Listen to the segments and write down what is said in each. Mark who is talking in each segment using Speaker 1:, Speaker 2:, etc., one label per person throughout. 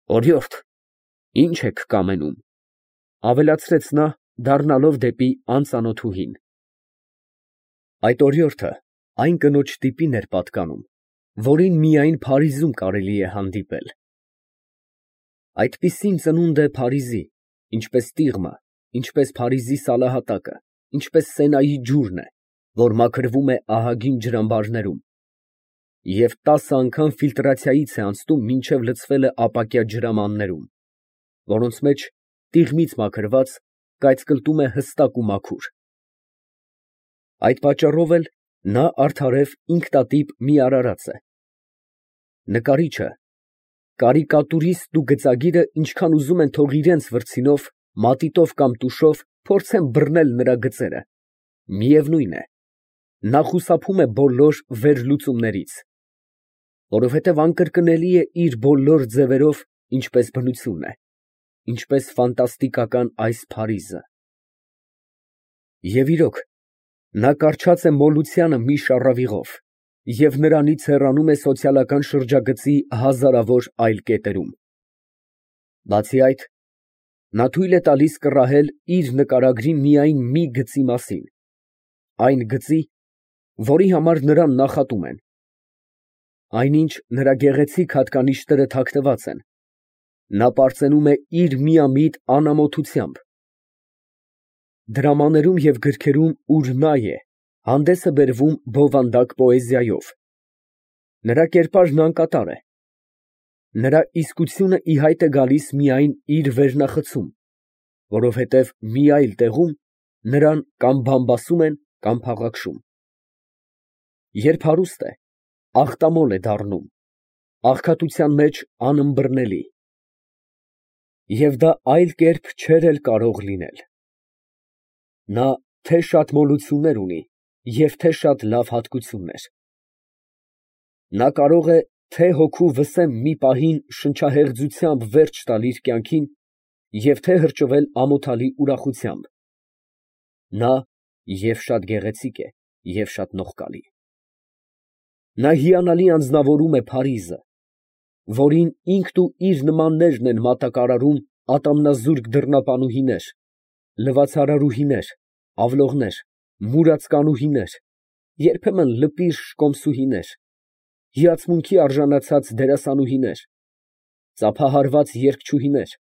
Speaker 1: Օրիորդ, ի՞նչ եք կամենում, ավելացրեց նա, դառնալով դեպի անծանոթուհին։ Այդ օրիորդը այն կնոջ տիպին էր պատկանում, որին միայն Փարիզում կարելի է հանդիպել։ Այդպիսին ծնունդ է Փարիզի, ինչպես տիղմը, ինչպես Փարիզի սալահատակը, ինչպես Սենայի ջուրն է, որ մաքրվում է ահագին ջրամբարներում և 10 անգամ ֆիլտրացիայից է անցնում, մինչև լցվել է ապակյա ջրամաններում, որոնց մեջ տիղմից մաքրված կայծկլտում է հստակ ու մաքուր։ Այդ պատճառով էլ նա արդարև ինքնատիպ մի արարած է։ Նկարիչը, կարիկատուրիստն ու գծագիրը ինչքան ուզում են թող իրենց վրձինով, մատիտով կամ տուշով փորձեն բռնել նրա գծերը, միևնույն է, նա խուսափում է բոլոր վերլուծումներից, որովհետև անկրկնելի է իր բոլոր ձևերով, ինչպես բնությունն է, ինչպես ֆանտաստիկական այս Փարիզը։ Եվ իրոք, նա կառչած է մոլությանը մի շառավիղով և նրանից հեռանում է սոցիալական շրջագծի հազարավոր այլ կետերում։ Բացի այդ, նա թույլ է տալիս կռահել իր նկարագրի միայն մի գծի մասին, այն գծի, որի համար նրան նախատում են։ Այնինչ նրա գեղեցիկ հատկանիշները թաքնված են, նա պարծենում է իր միամիտ անամոթությամբ։ Դրամաներում և գրքերում, ուր նա է, հանդես է բերվում բովանդակ պոեզիայով։ Նրա կերպարն անկատար է։ Նրա իսկությունը ի հայտ է գալիս միայն իր վերնախցում, որովհետև մի այլ տեղում նրան կամ բամբասում են, կամ փաղաքշում։ Երբ հարուստ է, ախտամոլ է դառնում, աղքատության մեջ անըմբռնելի։ Եվ դա այլ կերպ չէր էլ կարող լինել։ Նա թե շատ մոլություններ ունի և թե շատ լավ հատկություններ։ Նա կարող է թե հոգու վսեմ մի պահին շնչահեղձությամբ վերջ տալ իր կյանքին և թե հրճվել ամոթալի ուրախությամբ։ Նա և շատ գեղեցիկ է, և շատ նողկալի։ Նա հիանալի անձնավորում է Փարիզը, որին ինքն ու իր նմաններն են մատակարարում ատամնազուրկ դռնապանուհիներ, լվացարարուհիներ, ավլողներ, մուրացկանուհիներ, երբեմն լպիրշ կոմսուհիներ, հիացմունքի արժանացած դերասանուհիներ, ծափահարված երգչուհիներ։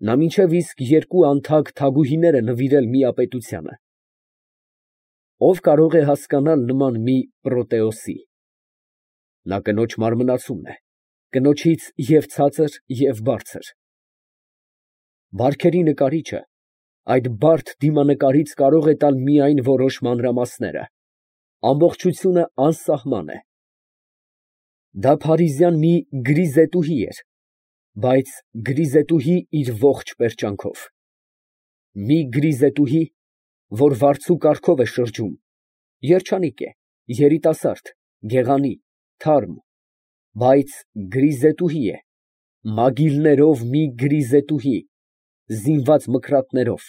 Speaker 1: Նա մինչև իսկ 2 անթագ թագուհիներ է նվիրել միապետությանը։ Ո՞վ կարող է հասկանալ նման մի Պրոտեոսի։ Նա կնոջ մարմնացումն է, կնոջից և ցածր, և բարձր։ Բարքերի նկարիչը այդ բարդ դիմանկարից կարող է տալ միայն որոշ մանրամասները, ամբողջությունը անսահման է։ Դա փարիզյան մի գրիզետուհի էր, բայց գրիզետուհի իր ողջ պերճանքով։ Մի գրիզետուհի, որ վարձու կառքով է շրջում, երջանիկ է, երիտասարդ, գեղանի, թարմ, բայց գրիզետուհի է, մագիլներով մի գրիզետուհի, զինված մկրատներով,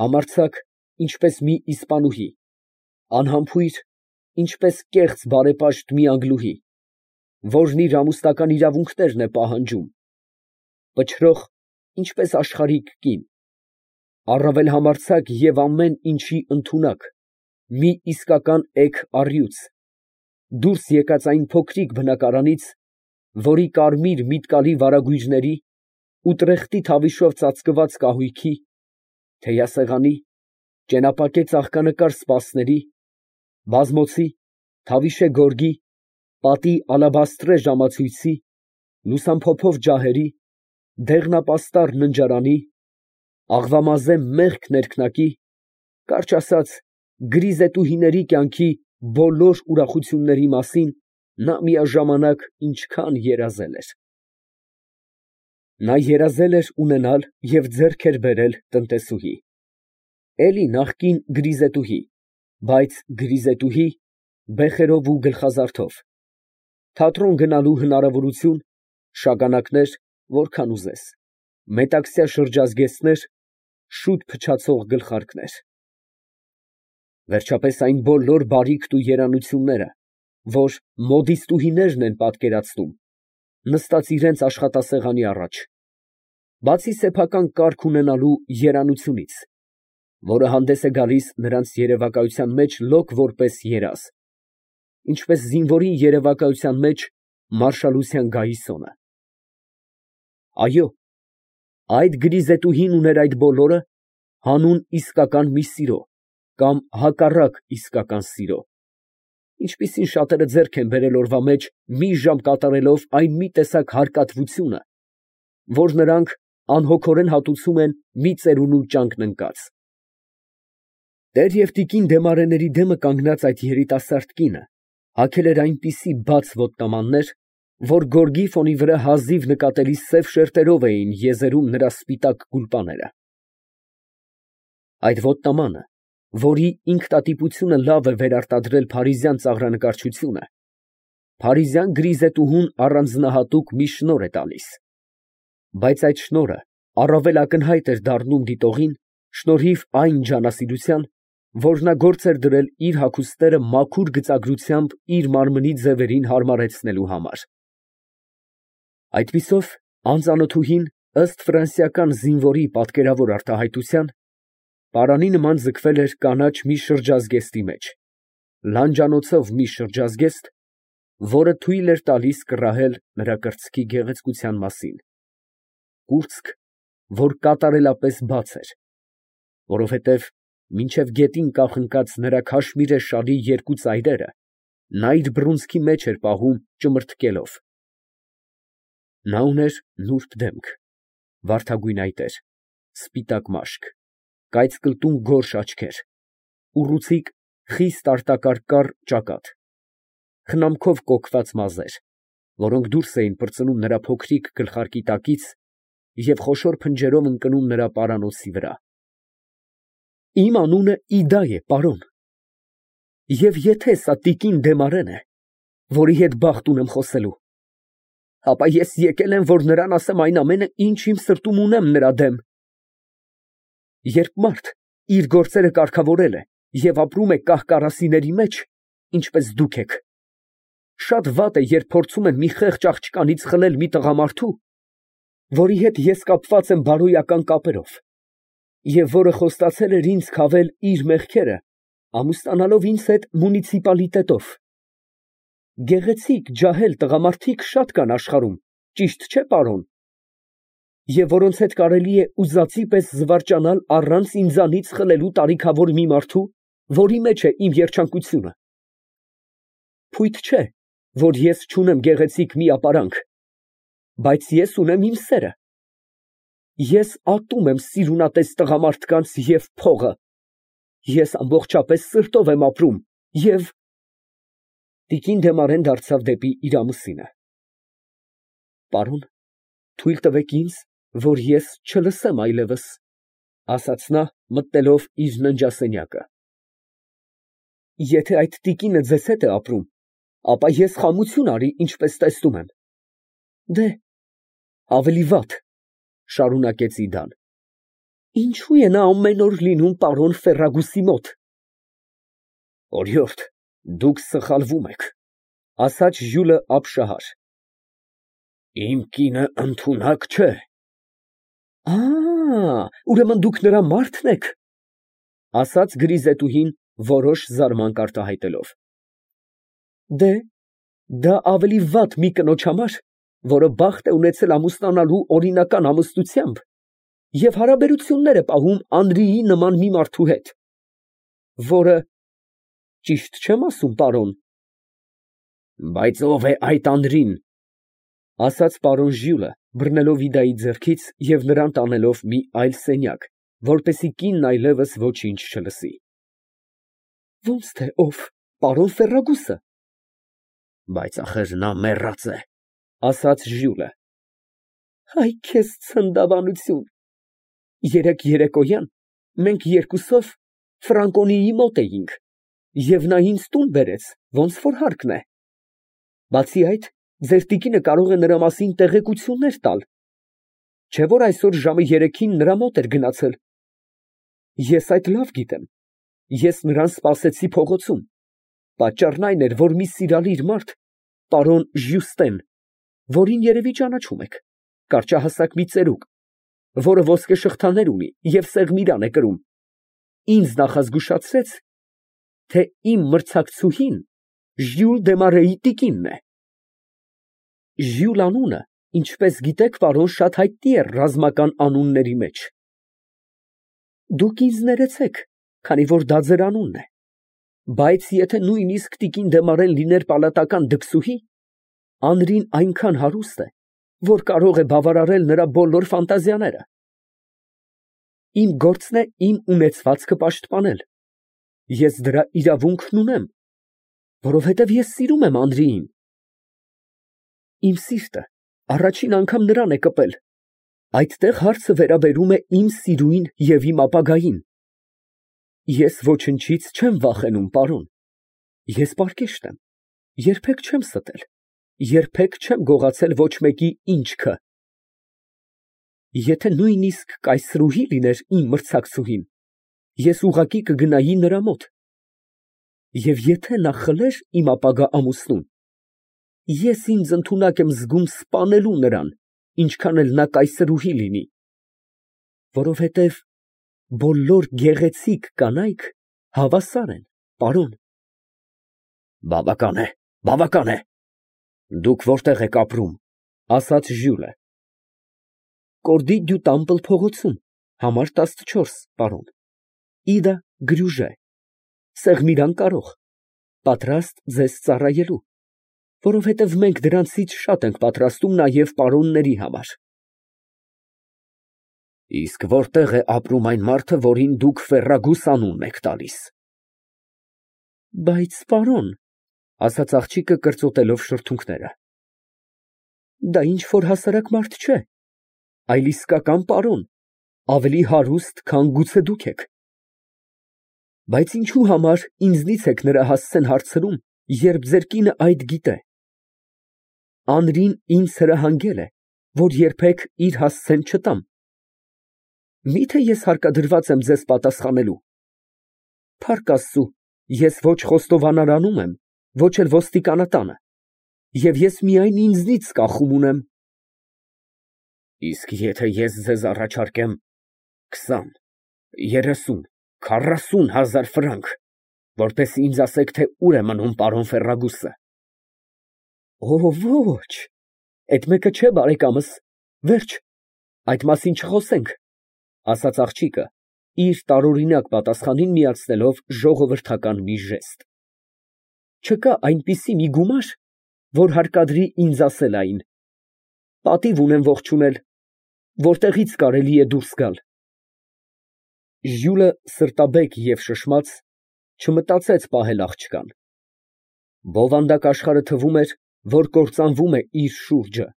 Speaker 1: համարձակ, ինչպես մի իսպանուհի, անհամբույր, ինչպես կեղծ բարեպաշտ մի անգլուհի, որն իր ամուսնական իրավունքներն է պահանջում, պչրող, ինչպես աշխարհիկ կին, առավել համարձակ և ամեն ինչի ընդունակ, մի իսկական էգ առյուծ, դուրս եկած այն փոքրիկ բնակարանից, որի կարմիր միտկալի վարագույրների, ուտրեխտի թավիշով ծածկված կահույքի, թեյասեղանի, ճենապակե ծաղկանկար սպասների, բազմոցի, թավիշե գորգի, պատի ալաբաստրե ժամացույցի, լուսամփոփով ջահերի, դեղնապաստառ ննջարանի, աղվամազե մեղք ներքնակի, կարճ ասած, գրիզետուհիների կյանքի բոլոր ուրախությունների մասին նա միաժամանակ ինչքան երազել էր։ Նա երազել էր ունենալ և ձեռք էր բերել տնտեսուհի, էլի նախկին գրիզետուհի, բայց գրիզետուհի բեխերով ու գլխազարդով, թատրոն գնալու հնարավորություն, շագանակներ, որքան ուզես, մետաքսյա շրջազգեստներ, շուտ փչացող գլխարկներ։ Վերջապես այն բոլոր բարիքն ու երանությունները, որ մոդիստուհիներն են պատկերացնում, նստած իրենց աշխատասեղանի առաջ, բացի սեփական կարգ ունենալու երանությունից, որը հանդես է գալիս նրանց երևակայության մեջ լոկ որպես երազ, ինչպես զինվորի երևակայության մեջ մարշալության գայիսոնը։ Այո, այդ գրիզետուհին ուներ այդ բոլորը հանուն իսկական մի սիրո կամ հակառակ իսկական սիրո, ինչպիսին շատերը ձեռք են բերել օրվա մեջ մի ժամ կատարելով այն մի տեսակ հարկատվությունը, որ նրանք անհոգորեն հատուցում են մի ծերունու ճանկն ընկած։ Տեր և տիկին Դեմարեների դեմը կանգնած այդ երիտասարդ կինը հագել էր այնպիսի բաց ոտնամաններ, որ գորգի ֆոնի վրա հազիվ նկատելի սև շերտերով էին եզերում նրա սպիտակ գուլպաները։ Այդ ոտնամանը, որի ինքնատիպությունը լավ է վերարտադրել փարիզյան ծաղրանկարչությունը, փարիզյան գրիզետուհուն առանձնահատուկ մի շնորհ է տալիս, բայց այդ շնորհը առավել ակնհայտ էր դառնում դիտողին շնորհիվ այն ջանասիրության, որ նա գործ էր դրել իր հագուստները մաքուր գծագրությամբ իր մարմնի ձևերին հարմարեցնելու համար։ Այդպիսով անծանոթուհին, ըստ ֆրանսիական զինվորի պատկերավոր արտահայտության, պարանի նման ձգվել էր կանաչ մի շրջազգեստի մեջ, լանջանոցով մի շրջազգեստ, որը թույլ էր տալիս կռահել նրա կրծքի գեղեցկության մասին, կուրծք, որ կատարելապես բաց էր, որովհետև մինչև գետին կախնկած նրա քաշմիրե շալի երկու ծայրերը նա իր բռունցքի մեջ էր պահում ճմրթկելով։ Նա ուներ նուրբ դեմք, վարդագույն այտեր, սպիտակ մաշկ, կայծկլտուն գորշ աչքեր, ուռուցիկ խիստ արտակարգ ճակատ, խնամքով կոկված մազեր, որոնք դուրս էին պրծնում նրա փոքրիկ գլխարկի տակից և խոշոր փնջերով ընկնում նրա պարանոցի վրա։ Իմ անունը Իդա է, պարոն, և եթե սա տիկին Դեմարեն է, որի հետ բախտ ունեմ խոսելու, ապա ես եկել եմ, որ նրան ասեմ այն ամենը, ինչ իմ սրտում ունեմ նրա դեմ։ Երբ մարդ իր գործերը կարգավորել է և ապրում է կահ֊կարասիների մեջ, ինչպես դուք եք, շատ վատ է, երբ փորձում են մի խեղճ աղջկանից խլել մի տղամարդու, որի հետ ես կապված եմ բարոյական կապերով, և որը խոստացել էր ինձ քավել իր մեղքերը, ամուսնանալով ինձ հետ մունիցիպալիտետով։ Գեղեցիկ, ջահել տղամարդիկ շատ կան աշխարհում, ճիշտ չէ՞, պարոն, և որոնց հետ կարելի է ուզածի պես զվարճանալ առանց ինձանից խլելու տարիքավոր մի մարդու, որի մեջ է իմ երջանկությունը։ Փույթ չէ, որ ես չունեմ գեղեցիկ մի ապարանք, բայց ես ունեմ իմ սերը։ Ես ատում եմ սիրունատես տղամարդկանց և փողը։ Ես ամբողջապես սրտով եմ ապրում և… Տիկին Դեմարեն դարձավ դեպի իր ամուսինը։ Պարոն, թույլ տվեք ինձ, որ ես չլսեմ այլևս, ասաց նա, մտնելով իր ննջասենյակը։ Եթե այդ տիկինը ձեզ հետ է ապրում, ապա ես խամություն արի, ինչպես տեսնում եմ։ Դե, ավելի վատ, շարունակեց Իդան, ինչու է նա ամեն օր լինում պարոն Ֆերրագուսի մոտ։ Օրիորդ, դուք սխալվում եք, ասաց Ժյուլը ապշահար։ Իմ կինը ընդունակ չէ։ Ուրեմն դուք նրա մարդն եք, ասաց գրիզետուհին որոշ զարմանք արտահայտելով։ Դե, դա ավելի վատ մի կնոջ համար, որը բախտ է ունեցել ամուսնանալու օրինական ամուսնությամբ և հարաբերություններ է պահում Անրիի նման մի մարդու հետ, որը… Ճիշտ չեմ ասում, պարոն։ Բայց ո՞վ է այդ Անրին, ասաց պարոն Ժյուլը, բռնելով Իդայի ձեռքից և նրան տանելով մի այլ սենյակ, որպեսզի կինն այլևս ոչինչ չլսի։ Ո՞նց թե ով, պարոն Ֆերրագուսը։ Բայց ախր նա մեռած է, ասաց Ժյուլը։ Այ քեզ ցնդավանություն։ Երեկ երեկոյան մենք երկուսով Ֆրանկոնիի մոտ էինք, և նա ինձ տուն բերեց, ոնց որ հարկն է։ Բացի այդ, ձեր տիկինը կարող է նրա մասին տեղեկություններ տալ, չէ՞ որ այսօր ժամը 3-ին նրա մոտ էր գնացել։ Ես այդ լավ գիտեմ, ես նրան սպասեցի փողոցում, պատճառն այն էր, որ մի սիրալիր մարդ, պարոն Ժյուստեն, որին երևի ճանաչում եք, կարճահասակ մի ծերուկ, որը ոսկե շղթաներ ունի և սեղմիրան է կրում, ինձ նախազգուշացրեց, թե իմ մրցակցուհին Ժյուլ Դեմարեի տիկինն է։ Ժյուլ անունը, ինչպես գիտեք, պարոն, շատ հայտնի է ռազմական անունների մեջ։ Դուք ինձ ներեցեք, քանի որ դա ձեր անունն է, բայց եթե նույնիսկ տիկին Դեմարեն լիներ պալատական դքսուհի, Անրին այնքան հարուստ է, որ կարող է բավարարել նրա բոլոր ֆանտազիաները։ Իմ գործն է իմ ունեցվածքը պաշտպանել։ Ես դրա իրավունքն ունեմ, որովհետև ես սիրում եմ Անրիին։ Իմ սիրտը առաջին անգամ նրան է կպել։ Այդտեղ հարցը վերաբերում է իմ սիրուին և իմ ապագային։ Ես ոչնչից չեմ վախենում, պարոն։ Ես պարկեշտ եմ, երբեք չեմ ստել, երբեք չեմ գողացել ոչ մեկի ինչքը։ Եթե նույնիսկ կայսրուհի լիներ իմ մրցակցուհին, ես ուղղակի կգնայի նրա մոտ։ Եվ եթե նա խլեր իմ ապագա ամուսնուն, ես ինձ ընդունակ եմ զգում սպանելու նրան, ինչքան էլ նա կայսրուհի լինի, որովհետև բոլոր գեղեցիկ կանայք հավասար են, պարոն։ Բավական է, բավական է։ Դուք որտեղ եք ապրում, ասաց Ժյուլը։ Կորդի դյու Տամպլ փողոցում, համար 14, պարոն։ Իդա Գրյուժե, Սեղմիրան կարող, պատրաստ ձեզ ծառայելու, որովհետև մենք դրանցից շատ ենք պատրաստում նաև պարոնների համար։ Իսկ որտեղ է ապրում այն մարդը, որին դուք Ֆերրագուս անունն եք տալիս։ Բայց, պարոն, ասաց աղջիկը կրծոտելով շրթունքները, դա ինչ որ հասարակ մարդ չէ, այլ իսկական պարոն, ավելի հարուստ, քան գուցե դուք եք։ Բայց ինչու համար ինձնից եք նրա հասցեն հարցրում, երբ ձեր կինը այդ գիտե։ Անրին ինձ հրահանգել է, որ երբեք իր հասցեն չտամ։ Միթե ես հարկադրված եմ ձեզ պատասխանելու։ Փառք Աստծու, ես ոչ խոստովանարանում եմ, ոչ էլ ոստիկանատանը, և ես միայն ինձնից կախում ունեմ։ Իսկ եթե ես ձեզ առաջարկեմ 20, 30, 40 հազար ֆրանկ, որպեսզի ինձ ասեք, թե ուր է մնում պարոն Ֆերրագուսը։ Օ, ոչ, այդ մեկը չէ, բարեկամս, վերջ, այդ մասին չխոսենք, ասաց աղջիկը, իր տարօրինակ պատասխանին միացնելով ժողովրդական մի ժեստ։ Չկա այնպիսի մի գումար, որ հարկադրի ինձ ասել այն։ Պատիվ ունեմ ողջունել, որտեղից կարելի է դուրս գալ։ Ժյուլը սրտաբեկ և շշմած չմտածեց պահել աղջկան։ Բովանդակ աշխարհը թվում էր, որ կործանվում է իր շուրջը,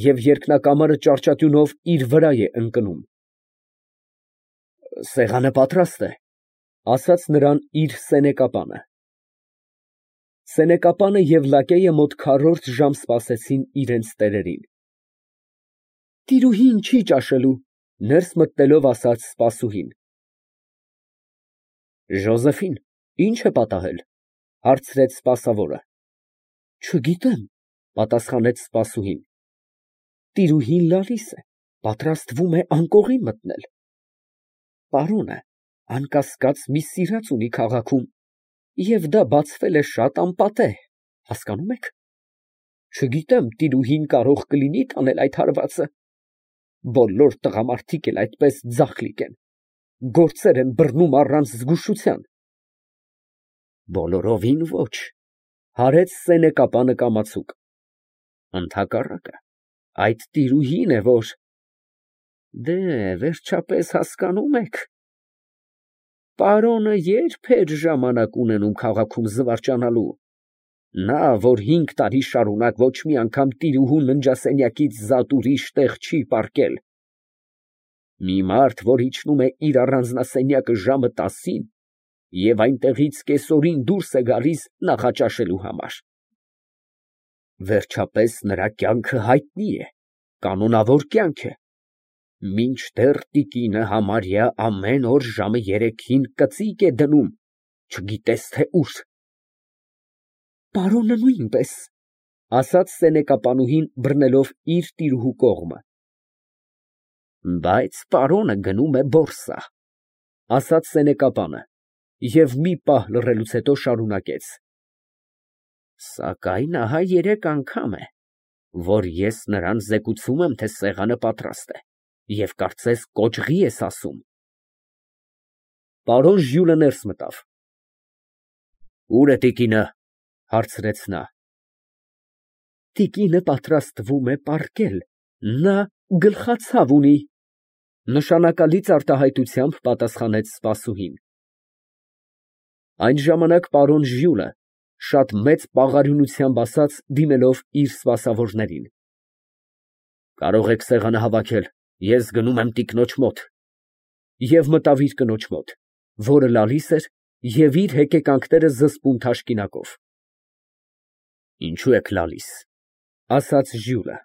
Speaker 1: և երկնակամարը ճարճատյունով իր վրա է ընկնում։ Սեղանը պատրաստ է, ասաց նրան իր սենեկապանը։ Սենեկապանը և լակեյը մոտ քառորդ ժամ սպասեցին իրենց տերերին։ Տիրուհին չի ճաշելու, ներս մտնելով ասաց սպասուհին։ Ժոզեֆին ի՞նչ է պատահել, հարցրեց սպասավորը։ Չգիտեմ, պատասխանեց սպասուհին։ Տիրուհին լալիս է, պատրաստվում է անկողին մտնել։ Պարոնը անկասկած մի սիրած ունի քաղաքում, և դա բացվել է շատ անպատեհ, հասկանում եք։ Չգիտեմ, տիրուհին կարող կլինի տանել այդ հարվածը։ Բոլոր տղամարդիկ էլ այդպես ձախլիկ են, գործեր են բռնում առանց զգուշության։ Բոլորովին ոչ, հարեց սենեկապանը կամացուկ։ Ընդհակառակը, այդ տիրուհին է, որ… Դե, վերջապես հասկանում եք։ Պարոնը երբ էր ժամանակ ունենում քաղաքում զվարճանալու։ Նա, որ 5 տարի շարունակ ոչ մի անգամ տիրուհու ննջասենյակից զատ ուրիշ տեղ չի պառկել։ Մի մարդ, որ իջնում է իր առանձնասենյակը ժամը 10-ին և այնտեղից կեսօրին դուրս է գալիս նախաճաշելու համար։ Վերջապես նրա կյանքը հայտնի է, կանոնավոր կյանք է, մինչդեռ տիկինը համարյա ամեն օր ժամը 3-ին կծիկ է դնում, չգիտես թե ուր։ Պարոնը նույնպես, ասաց սենեկապանուհին, բռնելով իր տիրուհու կողմը։ Բայց պարոնը գնում է բորսա, ասաց սենեկապանը և մի պահ լռելուց հետո շարունակեց. Սակայն ահա 3 անգամ է, որ ես նրան զեկուցում եմ, թե սեղանը պատրաստ է, և կարծես կոճղի ես ասում։ Պարոն Ժյուլը ներս մտավ։ Ո՞ւր է տիկինը, հարցրեց նա։ Տիկինը պատրաստվում է պառկել, նա գլխացավ ունի, նշանակալից արտահայտությամբ պատասխանեց սպասուհին։ Այն ժամանակ պարոն Ժյուլը շատ մեծ պաղարյունությամբ ասաց, դիմելով իր սպասավորներին. Կարող եք սեղանը հավաքել, ես գնում եմ տիկնոջ մոտ։ Եվ մտավ իր կնոջ մոտ, որը լալիս էր և իր հեկեկանքները զսպում թաշկինակով։ Ինչո՞ւ եք լալիս, ասաց Ժյուլը։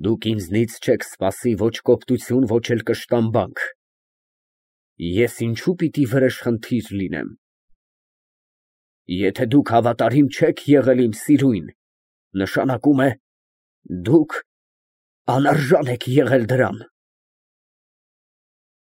Speaker 1: Դուք ինձնից չեք սպասի ոչ կոպտություն, ոչ էլ կշտամբանք։ Ես ինչո՞ւ պիտի վրեժխնդիր լինեմ։ Եթե դուք հավատարիմ չեք եղել իմ սիրուն, նշանակում է, դուք անարժան եք եղել դրան։